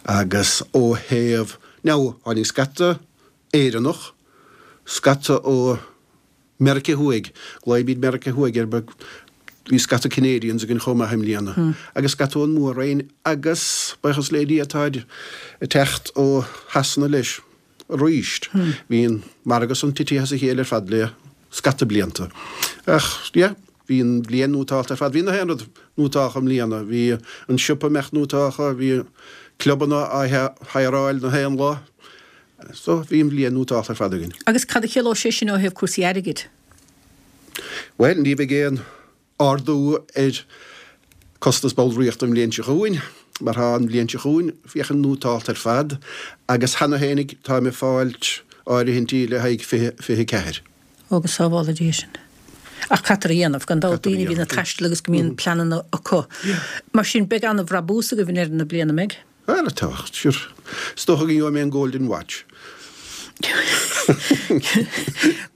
Agus ó thaobh, now, tháinig scata Éireannach, scata ó Meiriceá Thuaidh, glaoimid Meiriceá Thuaidh air, but bhí scata Canadians againn chomh maith i mbliana, agus scata ón Mór-Roinn agus, buíochas le Dia, táid ag teacht ó Shasana leis. arís. Bhí an margadh san titithe as a chéile ar fad le scata blianta. Ach, yeah, bhí an bhliain nótálta ar fad. Bhí na haon rud nótálta i mbliana. Bhí an siopa imeacht nótálta, bhí clubanna á hireáil na haon lá. So, bhí an bhliain nótálta ar fad againn. Agus cad a chiallódh sé sin ó thaobh cúrsaí airgid? Bhuel, ní bheidh aon ardú ar costas ballraíochta an bhliain seo chugainn, mar tá an bhliain seo chugainn féachaint nótálta ar fad agus cheana féinig táim ag fáilt áirithintí le haghaidh 2024. Ó go sábhála Dia sinn. Ach caithfear a dhéanamh, gan dabht, daoine a bhíonn ag taisteal agus go mbíonn pleananna acu. Mar sin, beidh an-bhrabús agaibh i ndeireadh na bliana, an mbeidh? Bhuel, tá, sure. Is dócha go ngeobhaidh mé an Golden Watch.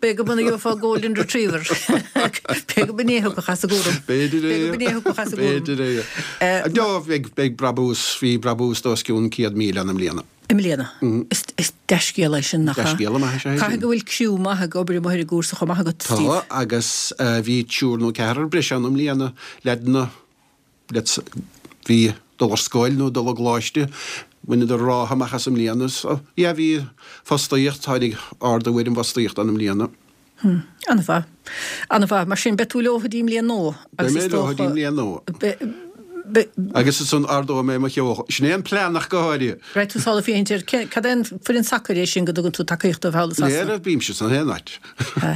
B'fhéidir go gheofá Golden Retriever. B'fhéidir go b'in é a thiocfadh as an gcúram. B'fhéidir é. B'fhéidir go b'in é a thiocfadh as an gcúram. B'fhéidir é. No, beidh, beidh brabús, bhí brabús os cionn 100,000 ann i mbliana. I mbliana. mbliana. Is dea-scéal é sin, nach ea? Dea-scéala maith is ea é sin. Caithfidh go bhfuil criú maith ag obair amuigh ar an gcúrsa chomh maith agat, Steve. Tá, agus bhí triúr nó ceathrar breise ann i mbliana, leaideanna a bhí ag dul ar scoil nó ag dul i gcoláiste, bhaineadar ráithe amach as i mbliana. So, yeah, bhí fostaíocht, tháinig ardú ar an bhfostaíocht ann i mbliana. Hm, an-mhaith. An-mhaith. Mar sin, beidh tú leo go dtí an mbliain nua. Beidh mé leo go dtí an mbliain nua. Agus ansan ardóidh mé mo cheo. Sin é an plean ach go háirithe. Beidh tú sásta féachaint ar, cad é an foireann sacair é sin go dtugann tú tacaíocht dóibh thall i Sasana? Léir, bímse san aon áit.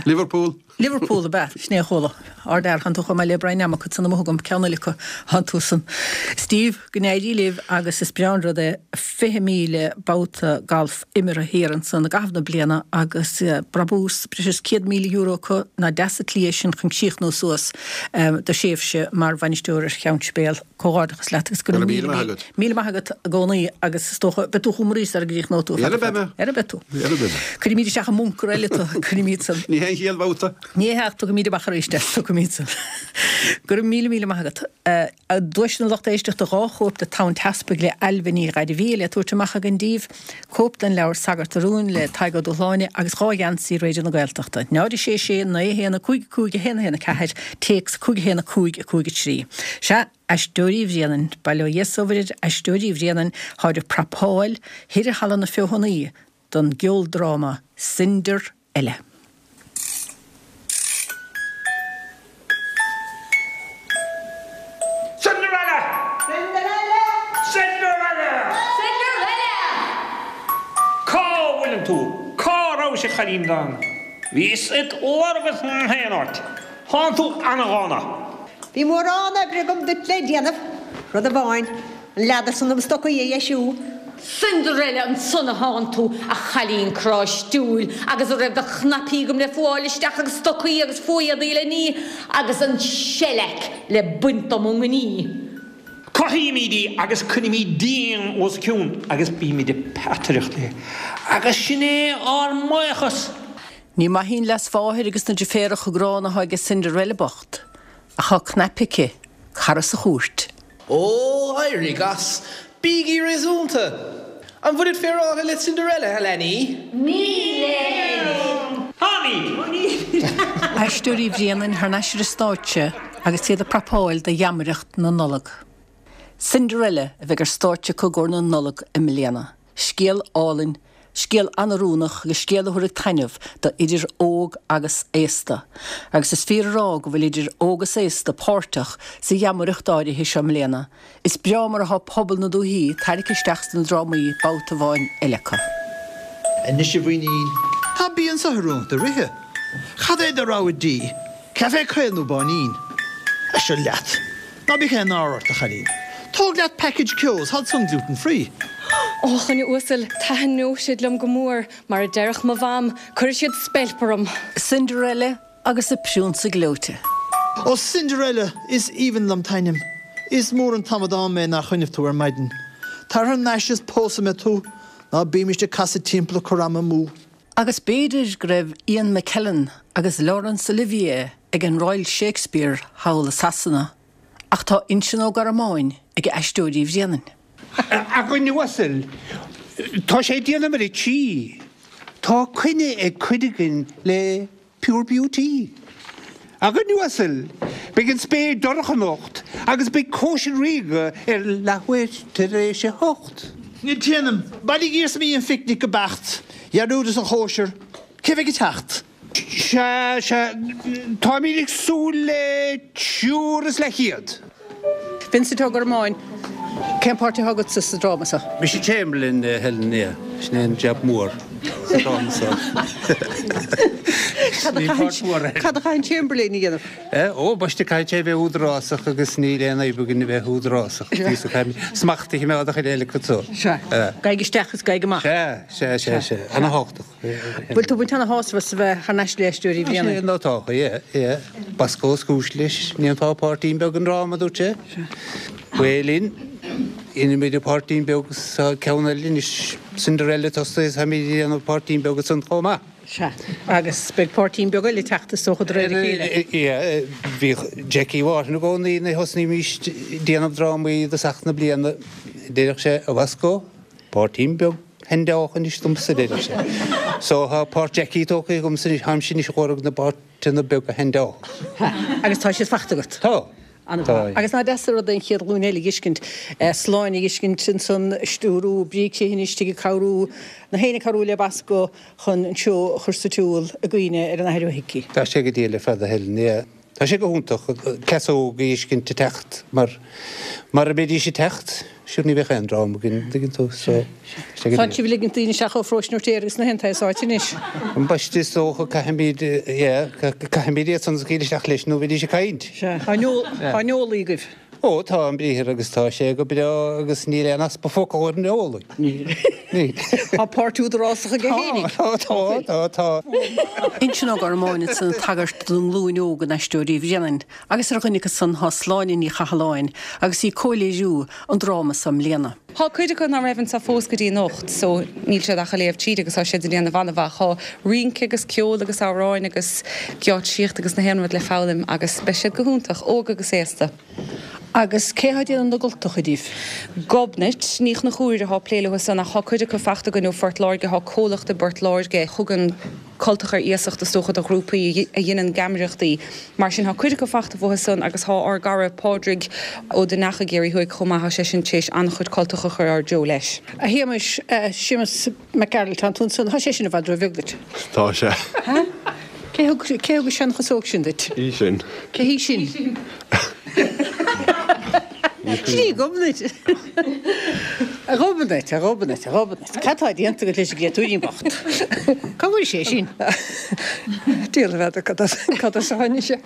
Liverpool. Liverpool ab ea? Sin é a chuala. Ardfhear, thánn tú chomh maith le Brian Nammock ansan amuigh agam, ceann eile acu, thánn tú san. Steve, go n-éirí libh agus is breá an rud é 20,000 babhta galf imeartha thiar ansan i gcaitheamh na bliana agus brabús breis is €100,000 acu, nach deas an tslí é sin chun críochnú suas do thréimhse mar bhainisteoir ar Cheann Sibéal. Comhghairdeachas leat agus go raibh míle maith míle maith agat i gcónaí agus is dócha beidh tú chugam arís sara gcríochnóidh tú. Ara beidh mé. Ara beidh tú. Ara beidh mé. Cuirfimid isteach i mbuncar eile tú, cuirfimid san. Ní hé an chéad bhabhta. Ní hea ach tiocfaimid amach arís é, tiocfaimid san. Go raibh míle míle maith agat. Duaiseanna lucht éisteachta, 2 chóip de Tonn Teaspaigh le Ailbhe Ní Ghairbhí le tabhairt amach againn daoibh, cóip den leabhar Sagart a Rúin le Tadhg Ó Dúshláine agus 2 gheansaí Raidió na Gaeltachta. 0 6 6 9 1 5 5 1 1 4, téacs 5 1 5 5 3. Sea, Aisteoirí Bhréanainn, bail ó Dhia 's ó Mhuire ar Aisteoirí Bhréanainn, tháid ag prapáil thoir i Halla na Feothanaí don gceoldráma Cinder Eile. Cinderella! Cinderella! Cinderella! Cinderella! Cá bhfuileann tú? Cá rabhais a chailín donn? Bhíos id lorg ins nach aon áit. Thánn tú ana-dhána. Bhí mórán oibre agam duit le déanamh, rud amháin, an leathar san do mo stocaí a dheisiú. Cinderella ansan a thánn tú, a chailín cráistiúil, agus a raibh de chnaipí agam le fuáil isteach agus stocaí agus fo-éadaí le ní agus an shellac le baint dom ón ngní. Cothaímid í agus coinnímid díon os a cionn agus bímid ag peataireacht léi agus sin é ár mbuíochas. Ní maith í an leasmháthair agus na deirféaracha gránna atá aige Cinderella bocht, ach tá cnaipe aici, cara sa chúirt. Ó, éirigh as! Bígí réasúnta! An bhfuilid féaráilte le Cinderella, a leanaí? Nílimid! Táimid! Aisteoirí Bhréanainn thar n-ais ar an stáitse agus iad ag prapáil do gheamaireacht na Nollag. Cinderella a bheidh ar stáitse acu i gcomhair na Nollag i mbliana. Scéal álainn, scéal an-oiriúnach agus scéal a thabharfaidh taitneamh do idir óg agus aosta. Agus is fíor a rá go bhfuil idir óg is aosta páirteach sa gheamaireacht áirithe seo i mbliana. Is breá mar atá pobal na dúichí tarraicthe isteach sna drámaí babhta amháin eile acu. Anois a mhuinín, tá bia anso oiriúnach do ríthe. Cad é do rogha dí, caife caol nó báinín? A seo leat. Ná bíodh aon náire ort, a chailín. Tóg leat package Keogh's, tháid san gluten free. Ó, a dhuine uasail, taitneoidh siad liom go mór, mar a déarfadh mo mham, cuirfidh siad speilp orm. Cinderella agus a Priúnsa Gleoite. Ó Cinderella, is aoibhinn liom t'ainm. Is mór an t-amadán mé nár chuimhnigh tú ar maidin. Tar thar n-ais is pósfaidh mé tú. Ná bímist ag casadh timpeall ag cur ama amú. Agus b'fhéidir go raibh Ian McKellen agus Laurence Olivier ag an Royal Shakespeare thall i Sasana, ach tá Uinsionn Ó Gormáin ag Aisteoirí Bhréanainn. A dhuine uasail, tá sé ag déanamh ar a tí. Tá coinne ag cuid againn le Pure Beauty. A dhuine uasail, beidh an spéir dorcha anocht agus beidh cóisir ríoga ar leathuair tar éis a hocht. Téanam, bailigh iarsmaí an phicnic go beacht, dhearúdas an chóisir, cé bheidh ag teacht? Sea, sea, táimid ag súil le triúr is leathchéad. Vincent Ó Gormáin, Cén páirt atá agatsa sa dráma seo? Mise Chamberlain, a Helen, yeah. Sin é an jab mór sa dráma seo. Cad a chaithfidh an Chamberlain a dhéanamh? Ó, baiste, caithfidh sé a bheith údarásach agus níl aon fhadhb againn a bheith údarásach. Smacht a choimeád ar chuile eile acu so. Sea. Gabhaigí isteach is gabhaigí amach. Sea, sea, sea, sea. Ana-thábhachtach. Bhfuil tú ag baint ana-shásamh as a bheith thar n-ais le Aisteoirí Bhréanainn? Sea, tá, yeah, yeah. Boscó is cúis leis. An ndéanfá páirtín beag i ndráma, a dúirt sé. Bhuel, dhein muid páirtín beag sa ceann eile anois, Cinderella tosaithe is táimid ag déanamh páirtín beag ansan chomh maith. Sea. Agus beidh páirtín beag eile ag teacht is dócha de réir a chéile. Yeah, bhíodh Jackie Mhárthain i gcónaí nuair a thosnaímís déanamh drámaí i dtosach na bliana, deireadh sé, a Bhoscó, páirtín beag. Handáil anois domsa, a deir sé. So tá páirt Jackie tógtha agamsa anois, táimse anois ag lorg na bpáirteanna beaga a handáil. Agus tá siad fachta agat? Tá. An-mhaith. Agus nach deas an rud é an chéad ghlúin eile a dh'fheiscint, Sláine a dh'fheiscint ansan ag stiúrú, Bríd Criomhthain istigh ag cabhrú, na héinne ag cabhrú le Basco chun an seó a chur sa tsiúl i gcuimhne ar an Athair Ó hIcí. Tá sé go diail ar fad a Helen, yeah. Tá sé go hiontach cleas óg a dh'fheiscint ag teacht mar mara mbeidís ag teacht, sure ní bheadh aon dráma againn, an dtuigeann tú, so tá sé go Tá sibh ag ligint daoine isteach ó pharóiste an Fheirtéaraigh agus na haon tsaghas áit anois. Ambaiste is dócha caithfimid, yeah, caithfimid iad san a scaoileadh isteach leis nó bheidís ag caint. Sea, tá an eolaí agaibh. Ó, tá an briathar agus tá sé go breá agus níl aon easpa focal ar an eolaí. Níl. Níl. Tá páirt údarásach aige fhéinig. Tá, tá, tá, tá. Uinseann Ó Gormáin ansan ag tagairt don nglúin óg in Aisteoirí Bhréanainn agus ar dhuine acu san tá Sláine Ní Chathalláin agus í ag comhléiriú an dráma so i mbliana. Thá cuid acu ná raibh anso fós go dtí anocht so níl siad ach a' léamh tríd agus tá siad a' déanamh ana-mhaith. Thá rince agus ceol agus amhráin agus geáitsíocht agus na haon rud le foghlaim agus beidh siad go hiontach, óg agus aosta. Agus cé thá déanamh na gcultacha díbh? Gobnait Ní Chonchúir athá plé leo san ach thá cuid acu fachta againn ó Phort Láirge, thá comhlacht i bPort Láirge thugann cultacha ar iasacht is dócha do ghrúpaí a dheineann geamaireachtaí. Mar sin thá cuid acu fachta uathu san agus thá ár gcara Pádraig Ó Duinneacha ag Iarraidh Thuaidh chomh maith, thá seisean téis an-chuid cultacha a chur ár dtreo leis. A Shéamais, Séamus Mac Gearailt, tánn tú ansan, thá sé sin i bhfad ró-bheag duit. Tá sé. Ha? Cé thug, cé thug an seanchasóg sin duit? Í sin. Cé hí sin? Sin í Gobnait. A Ghobnait, a Ghobnait, a Ghobnait. Cad tá déanta agat leis an gcréatúirín bocht? Cá bhfuair sé sin? Diabhal a fheadar cad as cad as a tháinig sé.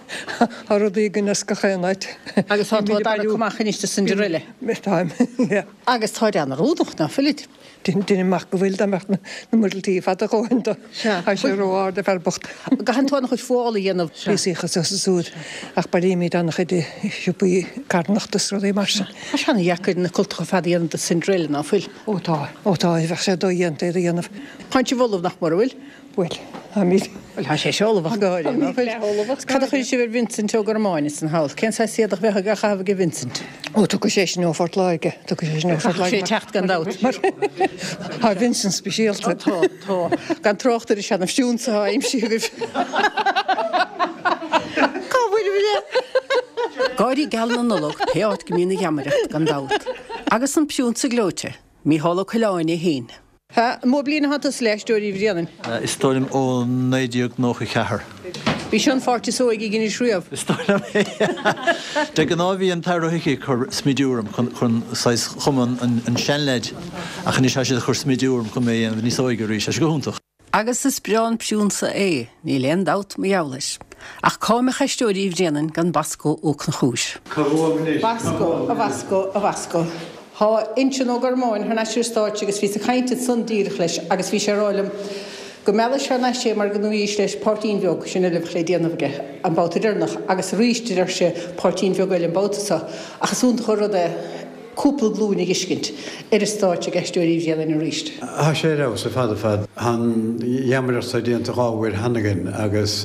Tá rudaí againn as gach aon áit. Agus tá tú ag tarrac amach anois do Cinderella. Táim, yeah. Agus táid an-oiriúnach, ná fuilid? Deinim amach go bhfuil, dá mbeadh na muiriltí fada a dhóthain dó. Tá sé ró-ard, an fear bocht. Gcaitheann tú an-chuid fuála a dhéanamh. Píosaí anso is ansúd, ach bailímid an-chuid i siopaí carthanachta is rudaí mar sin. Tá sé an-dheacair na cultacha fada a dhéanamh do Cinderella, ná fuil? Ó tá, ó tá, bheadh sé dodhéanta iad a dhéanamh. Tánn sibh ullamh, nach mór, an bhfuil? Bhuel, táimid. Bhuel, tá sé seo ullamh ach go háirithe, ná fuil? Cad a chuirfidh sibh ar Vincent Ó Gormáin ansan thall? Cén saghas éadach a bheadh á chaitheamh aige Vincent? Ó, tiocfaidh sé sin ó Phort Láirge, tiocfaidh sé sin ó Phort Láirge. Caithfidh sé teacht gan dabht. Mar tá Vincent speisialta. Tá, tá. Gan trácht ar an seana-phriúnsa atá aimsithe agaibh. Cá bhfuil mé? Gáirí geala na Nollag pé áit go mbíonn an gheamaireacht gan dabht. Agus an priúnsa gleoite, Mícheál Ó Coileáin é féin. An mó bliain atá tusa le Aisteoirí Bhréanainn? Is dóigh liom ó 1994. Bhí seo an pháirt is óige a dheinis riamh. Is dóigh liom é. De ghnáth bhí an tAthair Ó hIcí ag cur smidiú orm chun saghas chuma an seanleaid ach anois tá siad ag cur smidiú orm chun mé a dhéanamh níos óige arís. Tá sé go hiontach. Agus is breá an priúnsa é, níl aon dabht mar gheall air. Ach cá mbeadh Aisteoirí Bhréanainn gan Basco Ó Conchúir? Cá bhfuaim anois? Basco, a Bhasco, a Bhasco. Thá Uinseann Ó Gormáin thar n-ais ar an stáitse agus bhíos ag caint ansan díreach leis agus bhí sé ag rá liom go meallfaidh sé thar n-ais é mar go ndúirt leis páirtín bheag, sin uile a bheadh le déanamh aige an babhta deireanach agus arís a deir sé páirtín bheag eile an babhta seo ach is iontach an rud é cúpla glúin a dh'fheiscint ar an stáitse ag Aisteoirí Bhréanainn arís. Thá sé ar fheabhas ar fad ar fad. Thá an gheamaireacht seo déanta 2 uair cheana againn agus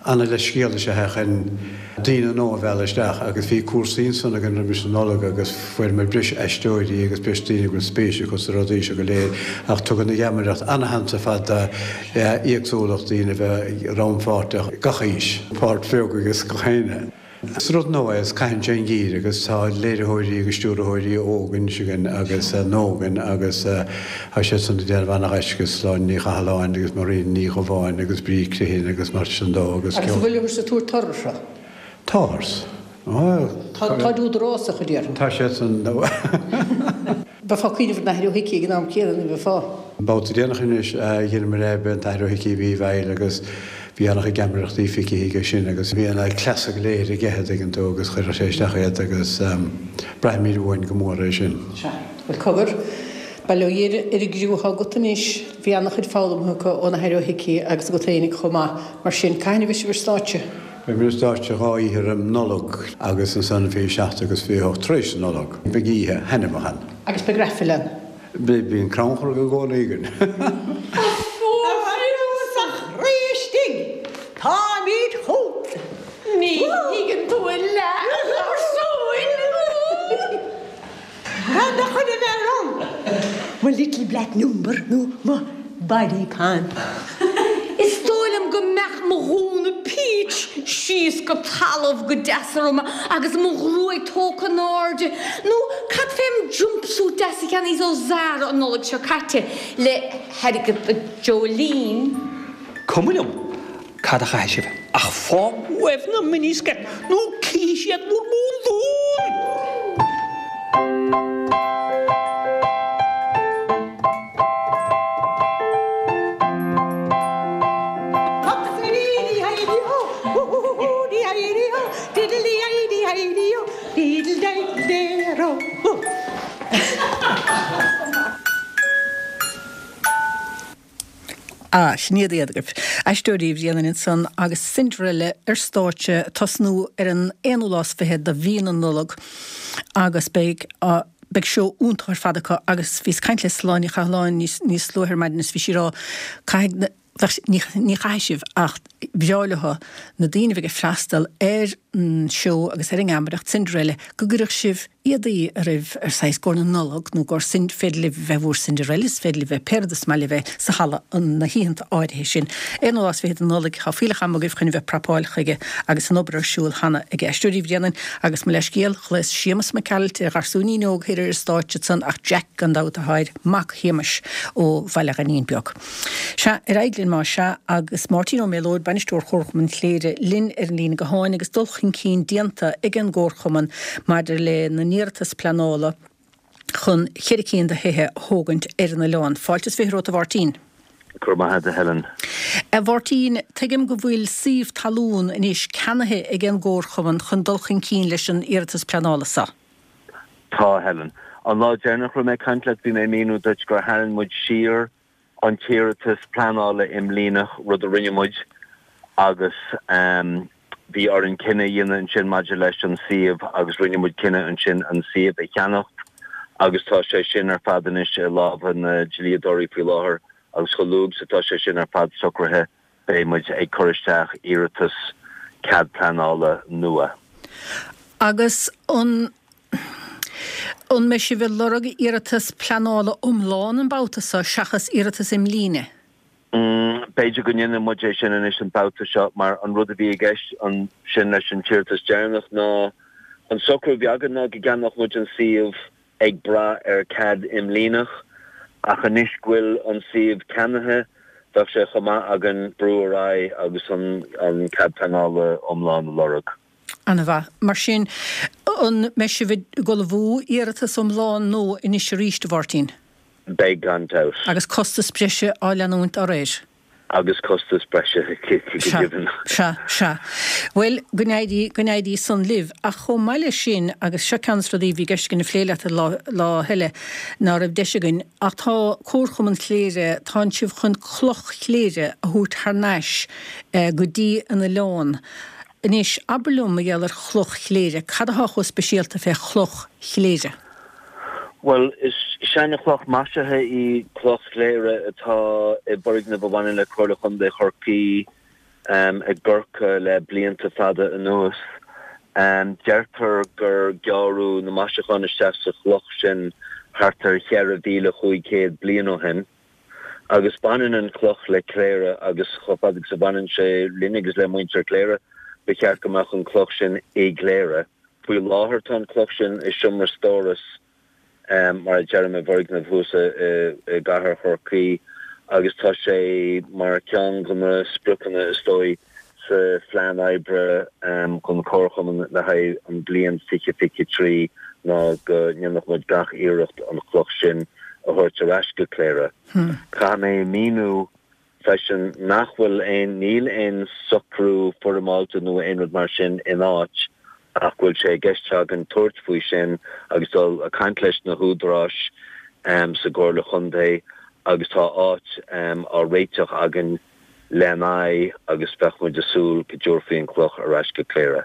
ana-leithscéal is ea é chun daoine nua a mhealladh isteach agus bhí cúrsaí ansan againn roimis an Nollaig agus fuaireamar breis aisteoirí agus breis daoine go bhfuil spéis acu sna rudaí seo go léir ach tugann an gheamaireacht ana-sheans ar fad d'éagsúlacht daoine a bheith rannpháirteach, gach aois, páirt bheag agus gach éinne. Is rud nua é is caitheann sé an gír agus tá léiritheoirí agus stiúrthóirí óga anois againn agus nua againn agus tá siad san ag déanamh ana-ghaisce, Sláine Ní Chathalláin agus Maureen Ní Dhubháin agus Bríd Criomhthain agus mar sin dó agus Agus an bhfuil ag tabhairt toradh seo? Táthar. Táid údarásach a déarfainn. Tá siad san. Bheifeá ag cuimhneamh ar an Athair Ó hIcí ag an am céanna, ní bheifeá? An babhta déanach anois a dheineamar é b'é an tAthair Ó hIcí a bhí i bhfeighil agus bhí an-chuid geamaireachtaí feicthe aige sin agus bhí na cleasa go léir aige a dtuigeann tú agus chuireadh sé isteach iad agus braithimid uainn go mór é sin. Sea. Bhuel cogar, bail ó Dhia ar an gcriú atá agat anois, bhí an-chuid foghlamtha acu ón Athair Ó hIcí agus agat fhéinig chomh maith, mar sin cathain a bheidh sibh ar stáitse? Beimid ar stáitse 2 oíche roim Nollag agus ansan 27 agus 28 tar éis na Nollag. Beidh oíche thaitneamhach ann. Agus beidh raifil ann. Beidh, bíonn crannchur i gcónaí againn. A phriúnsa chroí istigh, táimid chugat. Ní thuigeann tú a leath, a gharsúin. Cad a chuir a mhéar ann? Mo little black number nó mo body pan. Is dóigh liom go mbeadh mo ghúna peach síos go talamh go deas orm agus mo ghruaig tógtha in airde. Nó cad fém jumpsuit deas a cheannaíos ó Zara an Nollaig seo caite le hairgead Jolene? Cuma liom cad a chaithfidh sibh, ach fág uaibh na miniskirt nó cífidh siad bhur mbúndún! Ah, sin iad iad agaibh. Aisteoirí Bhréanainn ansan agus Cinderella ar stáitse ag tosnú ar an aonú lá is fiche de mhí na Nollag agus beidh beidh seó iontach ar fad acu agus bhíos ag caint le Sláine Ní Chathalláin níos níos luaithe ar maidin is bhí sí ag rá caithfidh na bheadh ní ní chaithfidh sibh ach bhreá leo na daoine a bheidh ag freastal ar an seó agus ar an ngeamaireacht Cinderella go gcuirfeadh sibh éadaí oraibh ar saghas i gcomhair na Nollag nó i gcomhair sin féidir libh bheith bhur Cinderellas, féidir libh bheith pé rud is maith libh bheith sa halla na hoícheanta áirithe sin. Aonú lá is fiche de Nollaig, tá fuílleach ama agaibh chun a bheith prapáil chuige agus an obair ar siúl cheana ag Aisteoirí Bhréanainn agus mo leithscéal, ghlaos Séamus Mac Gearailt ar gharsúinín óg thoir ar an stáitse ansan ach Jack gan dabht atá air, mac Shéamais ó Bhaile Ghainín Beag. Sea, ar aghaidh linn más ea, agus Máirtín Ó Méalóid, Bainisteoir Chomharchumann Chléire, linn ar an líne gutháin agus dul chun cinn déanta ag an gComharchumann maidir lena n-iarratas pleanála chun cheithre cinn de thithe a thógaint ar an oileán. Fáilte is 20 romhat a Mháirtín. Go raibh maith agat a Helen. A Mháirtín, tuigim go bhfuil suíomh talún anois ceannaithe ag an gComharchumann chun dul chun cinn leis an iarratas pleanála seo. Tá, a Helen. An lá deireanach a raibh mé ag caint leat bhí mé ag míniú duit gur tharraing muid siar an t-iarratas pleanála imlíneach, rud a rinne muid, agus bhí orainn cinneadh a dhéanamh ansin maidir leis an suíomh agus rinne muid cinneadh ansin an suíomh a cheannacht agus tá sé sin ar fad anois i lámha na dlíodóirí faoi láthair agus chomh luath is atá sé sin ar fad socraithe beidh muid ag cur isteach iarratas cead pleanála nua. Agus an an mbeidh sibh ag lorg iarratas pleanála iomlán an babhta seo seachas iarratas imlíne? B'fhéidir go ndéanfaidh muid é sin anois an babhta seo mar an rud a bhí i gceist ansin leis an t-iarratas deireanach ná an socrú a bhí againn ná go gceannódh muid an suíomh ag brath ar cead imlíneach, ach anois go bhfuil an suíomh ceannaithe, bheadh sé chomh maith againn brú ar aghaidh agus an cead pleanála iomlán a lorg. Ana-mhaith. Mar sin, an mbeidh sibh ag ullmhú iarratas iomlán nua anois arís, a Mháirtín? Beidh, gan dabht. Agus costas breise á leanúint dá réir? agus costas breise go deimhin. Sea, sea. Bhuel, go n-éirí, go n-éirí san libh. Ach chomh maith leis sin, agus seo ceann de na rudaí a bhí i gceist againn a phlé leat lá, lá eile ná raibh deis againn, ach tá Comharchumann Chléire, tánn sibh chun Cloch Chléire a thabhairt thar n-ais go dtí an oileán. Anois, abair liom mar gheall ar Chloch Chléire, cad athá chomh speisialta fé Chloch Chléire? Bhuel, is seana-chloch maisithe í Cloch Chléire atá i bhfoirgneamh a bhaineann le Comhairle Chontae Chorcaí i gCorcaigh le blianta fada anuas. Deirtear gur gearradh na maisiúcháin isteach sa chloch sin thart ar 4,500 bliain ó shin. Agus baineann an chloch le Cléire agus chomh fada agus a bhaineann sé linn agus le muintir Chléire, ba cheart go mbeadh an chloch sin i gCléire. Faoi láthair tá an chloch sin i seomra stórais, mar a deirim, i bhfoirgneamh thuas i gcathair Chorcaí agus tá sé mar cheann de na spriocanna is dóigh sa phlean oibre don Chomharchumann le haghaidh an bhliain 2023 ná go ndéanfadh muid gach iarracht an chloch sin a thabhairt ar ais go Cléire. Caithfidh mé míniú freisin nach bhfuil aon, níl aon socrú foirmeálta nó aon rud mar sin in áit ach go bhfuil sé i gceist againn tabhairt faoi sin agus dul a caint leis na húdaráis sa gComhairle Chontae agus tá áit á réiteach againn lena aghaidh agus bheadh muid ag súil go dtabharfaí an chloch ar ais go Cléire.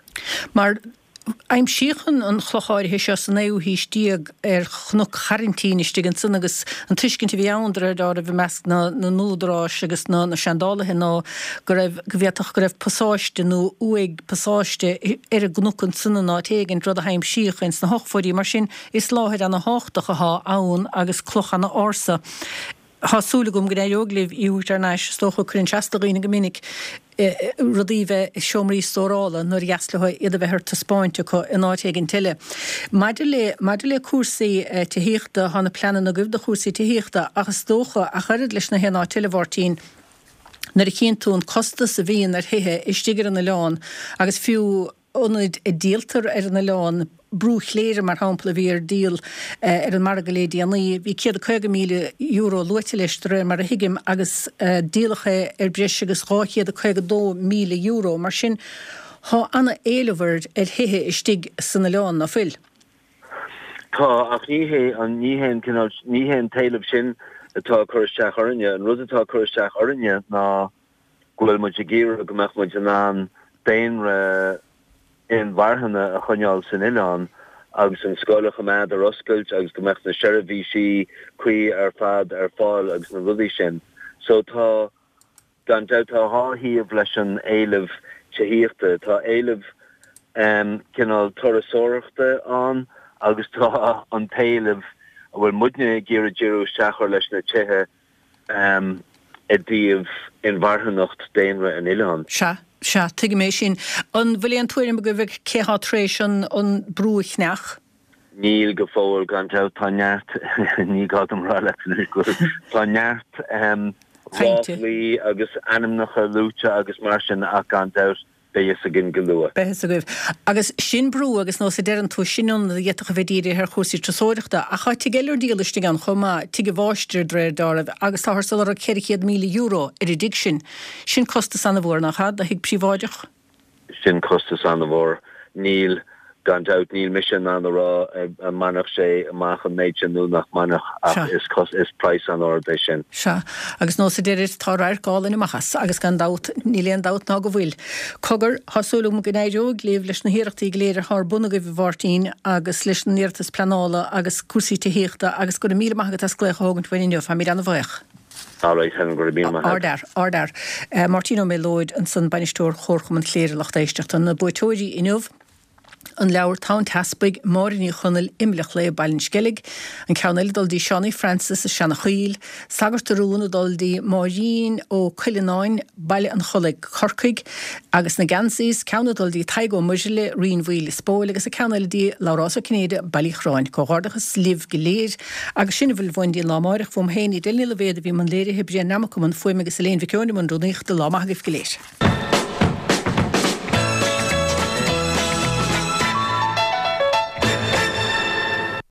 Mar. Aimsíodh an chloch áirithe seo sa naoú haois déag ar Chnoc Choraintín istigh ansan agus an tuiscint a bhí ann, de réir dealraimh, i measc na n-údarás agus na seandálaithe ná go raibh, go bhféadfadh go raibh pasáiste nó uaigh pasáiste ar an gcnoc ansan in áit éigint, rud a haimsíodh ins na hochtóidí. Mar sin, is láthair ana-thábhachtach athá ann agus cloch ana-ársa. Tá súil agam go n-éireoidh libh í a thabhairt thar n-ais. Is dócha, cuireann sé as do dhaoine go minic rudaí bheith i seomraí stórála nuair a dheas leo iad a bheith ar taispeáint acu in áit éigint eile. Maidir le, maidir le cúrsaí tithíochta, tá na pleananna agaibh do chúrsaí tithíochta ach is dócha, ach oiread leis na haon áit eile, a Mháirtín, nuair a chíonn tú an costas a bhíonn ar thithe istigh ar an oileán agus fiú ionaid a díoltar ar an oileán, Brú Chléire mar shampla a bhí ar díol ar an margadh le déanaí, bhí €150,000 luaite leis de réir mar a thuigim agus díoladh é ar breis agus €252,000. Mar sin tá ana-éileamh ar thithe istigh san oileán, ná fuil? Tá, ach ní hé an, ní hé an cineál, ní hé an t-éileamh sin atá ag cur isteach orainne. An rud atá ag cur isteach orainne ná go bhfuil muid ag iarraidh go mbeadh muid in ann daonra inmharthana a choinneáil san oileán agus an scoil a choimeád ar oscailt agus go mbeadh na seirbhísí cuí ar fad ar fáil agus na rudaí sin. So tá, gan dabht, tá dhá thaobh leis an éileamh tithíochta. Tá éileamh cineál turasóireachta ann agus tá an t-éileamh a bhfuil muidne ag iarraidh díriú isteach air leis na tithe i dtaobh inmharthanacht daonra an oileáin. Sea, sea, tuigim é sin. An bhfuil aon tuairim agaibh ar cé thá tar éis an an brú a chneach? Níl go fóill, gan dabht. Tá neart, ní gá dom rá leat anois go bhfuil, tá neart ráflaí agus ainmneacha luaite agus mar sin ach gan dabht, Beidh fhios againn go luath. Beidh fhios agaibh. Agus sin brú agus nós a deireann tú, sin ionad a d'fhéadfadh a bheith dírithe ar chúrsaí turasóireachta. Ach tá tigh eile ar díol istigh ann chomh maith, tigh an mháistir de réir dealraimh, agus táthar ag lorg €400,000 ar an dtigh sin. Sin costas an-mhór, nach ea, do thigh príobháideach? Sin costas an-mhór. Níl. Gan dabht, níl mise in ann a rá an mbainfeadh sé amach an méid sin nó nach mbainfeadh, ach is is praghas an-ard é sin. Sea, agus nós a deirid, tá radharc álainn amach as, agus gan dabht, níl aon dabht ná go bhfuil. Cogar, tá súil agam go n-éireoidh libh leis na hiarrachtaí go léir atá ar bun agaibh, a Mháirtín, agus leis an iarratas pleanála agus cúrsaí tithíochta, agus go raibh míle maith agat as glaoch a thógaint uainn inniu, táimid an-bhuíoch. Alright, Helen, go raibh míle maith agat. Ardfhear, ardfhear. Máirtín Ó Méalóid ansan, Bainisteoir Chomharchumann Chléire, lucht éisteachta. Na buaiteoirí inniu, an leabhar Tonn Teaspaigh, Máire Ní Chonaill, Inbhir an Chlaidhe, Baile an Sceilg, an ceann eile ag dul dtí Seánie Francis, Seanachoill, Sagart a Rún ag dul dtí Máirín Ó Cuileanáin, Baile an Chollaigh, Corcaigh, agus na geansaithe, ceann ag dul dtí Tadhg Ó Muirthile, Rinn Mhaoil, Lios Póil, agus an ceann eile dtí Labhrás Ó Cinnéide, Baile Uí Chorráin. Comhghairdeachas libh go léir. Agus sin a bhfuil uainn dtí an lá amáireach, uaim féin, Edel Ní Loibhéad a bhí i mbun léirithe, Brian Nammock i mbun fuaime agus Elaine Mhic Eoin i mbun rúnaíochta. Lá maith agaibh go léir.